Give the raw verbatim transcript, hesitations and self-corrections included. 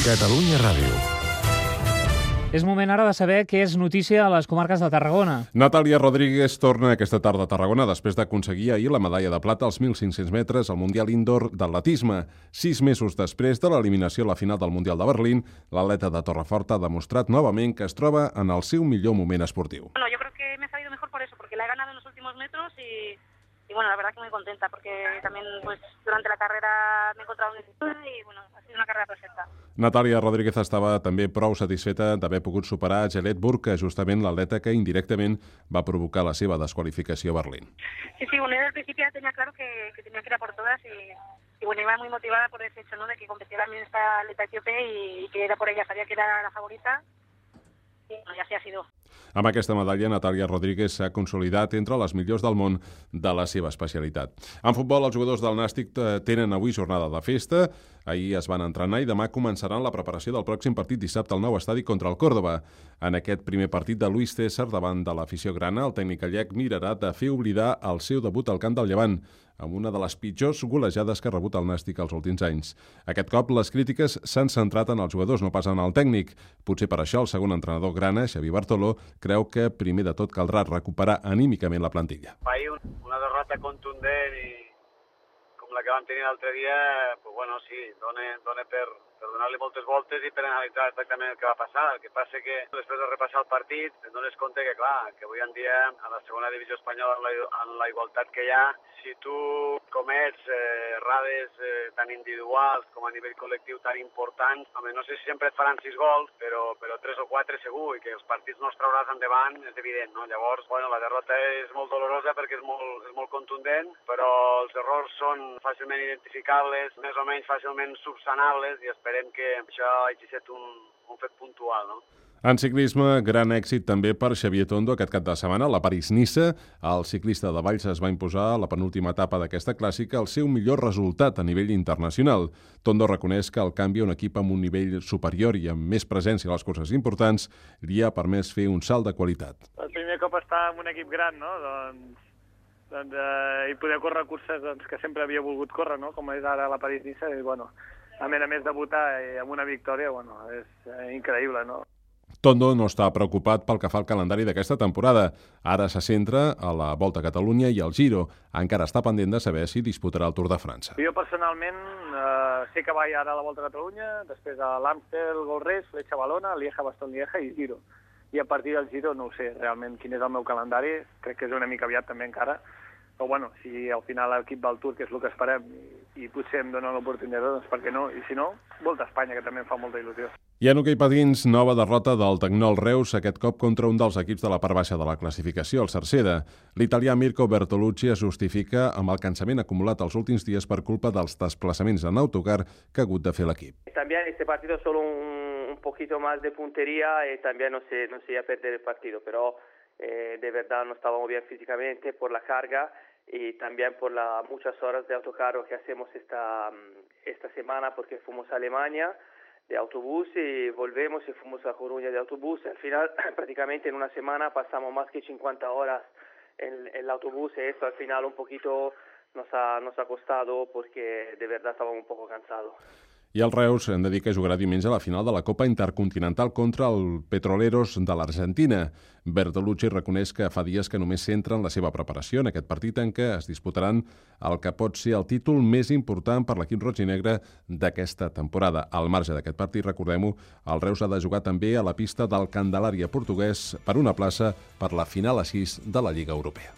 Catalunya Ràdio. És moment ara de saber què és notícia a les comarques de Tarragona. Natàlia Rodríguez torna aquesta tarda a Tarragona després d'aconseguir ahir la medalla de plata als mil cinc-cents metres al Mundial Indoor d'atletisme. Sis mesos després de l'eliminació a la final del Mundial de Berlín, l'atleta de Torrefort ha demostrat novament que es troba en el seu millor moment esportiu. Bueno, yo creo que me ha salido mejor por eso, porque la he ganado en los últimos metros y... Y bueno, la verdad que muy contenta porque también pues durante la carrera me he encontrado en dificultad y bueno, ha sido una carrera perfecta. Natàlia Rodríguez estava també prou satisfeta d'haver pogut superar Gelet Burke, justament l'atleta que indirectament va provocar la seva desqualificació a Berlín. Sí, sí, bueno, yo desde el principio ya tenía claro que, que tenía que ir a por todas y, y bueno, iba muy motivada por ese hecho, ¿no?, de que competía también esta atleta etíope y, y que era por ella, sabía que era la favorita y bueno, ya así ha sido. Amb aquesta medalla, Natàlia Rodríguez s'ha consolidat entre les millors del món de la seva especialitat. En futbol, els jugadors del Nàstic tenen avui jornada de festa. Ahir es van entrenar i demà començaran la preparació del pròxim partit dissabte al nou estadi contra el Córdoba. En aquest primer partit de Luis César davant de l'afició grana, el tècnic gallec mirarà de fer oblidar el seu debut al camp del Llevant, amb una de les pitjors golejades que ha rebut el Nàstic els últims anys. Aquest cop, les crítiques s'han centrat en els jugadors, no pas en el tècnic. Potser per això el segon entrenador grana, Xavi Bartoló, creu que primer de tot caldrà recuperar anímicament la plantilla. Ahir una derrota contundent i com la que vam tenir l'altre dia, pues bueno, sí, dona, dona per, per donar-li moltes voltes i per analitzar exactament el que va passar. El que passa que després de repassar el partit et dones compte que, clar, que avui en dia a la segona divisió espanyola, en la, en la igualtat que hi ha, si tu comets eh, errades eh, tan individuals com a nivell col·lectiu tan importants, home, no sé si sempre et faran sis gols, però, però tres o quatre segur, i que els partits no els trauràs endavant és evident, no? Llavors, bueno, la derrota és molt dolorosa perquè és molt, és molt contundent, però els errors són fàcilment identificables, més o menys fàcilment subsanables, i esperem que això hagi estat un, un fet puntual, no? En ciclisme, gran èxit també per Xavier Tondo aquest cap de setmana. La París-Niça, el ciclista de Valls es va imposar a la penúltima etapa d'aquesta clàssica el seu millor resultat a nivell internacional. Tondo reconeix que el canvi a un equip amb un nivell superior i amb més presència a les curses importants li ha permès fer un salt de qualitat. El primer cop estar en un equip gran, no? Doncs, doncs eh, i poder córrer curses doncs, que sempre havia volgut córrer, no? Com és ara la París-Niça, i bueno, a més a més debutar amb una victòria, bueno, és eh, increïble, no? Tondo no està preocupat pel que fa al calendari d'aquesta temporada. Ara se centra a la Volta a Catalunya i al Giro. Encara està pendent de saber si disputarà el Tour de França. Jo personalment eh, sé que vaig ara a la Volta a Catalunya, després a l'Amstel Gold Race, Fletxa Balona, Lieja, Bastogne Lieja i Giro. I a partir del Giro no ho sé realment quin és el meu calendari, crec que és una mica aviat també encara, però bueno, si al final l'equip va al Tour, que és el que esperem, i, i potser em dona l'oportunitat, doncs per què no? I si no, Volta a Espanya, que també em fa molta il·lusió. I en hoquei patins, nova derrota del Tecnol Reus, aquest cop contra un dels equips de la part baixa de la classificació, el Cerceda. L'italià Mirko Bertolucci es justifica amb el cansament acumulat els últims dies per culpa dels desplaçaments en autocar que ha hagut de fer l'equip. También este partido solo un, un poquito más de puntería y también no se, no se iba a perder el partido, pero eh, de verdad no estábamos bien físicamente por la carga y también por las muchas horas de autocarro que hacemos esta, esta semana porque fuimos a Alemania de autobús y volvemos y fuimos a Coruña de autobús. Al final, prácticamente en una semana pasamos más que cincuenta horas en, en el autobús y esto al final un poquito nos ha, nos ha costado porque de verdad estábamos un poco cansados. I el Reus hem de dir que jugarà diumenge a la final de la Copa Intercontinental contra el Petroleros de l'Argentina. Bertolucci reconeix que fa dies que només centra en la seva preparació en aquest partit en què es disputaran el que pot ser el títol més important per l'equip roig i negre d'aquesta temporada. Al marge d'aquest partit, recordem-ho, el Reus ha de jugar també a la pista del Candelària portuguès per una plaça per la final a sis de la Lliga Europea.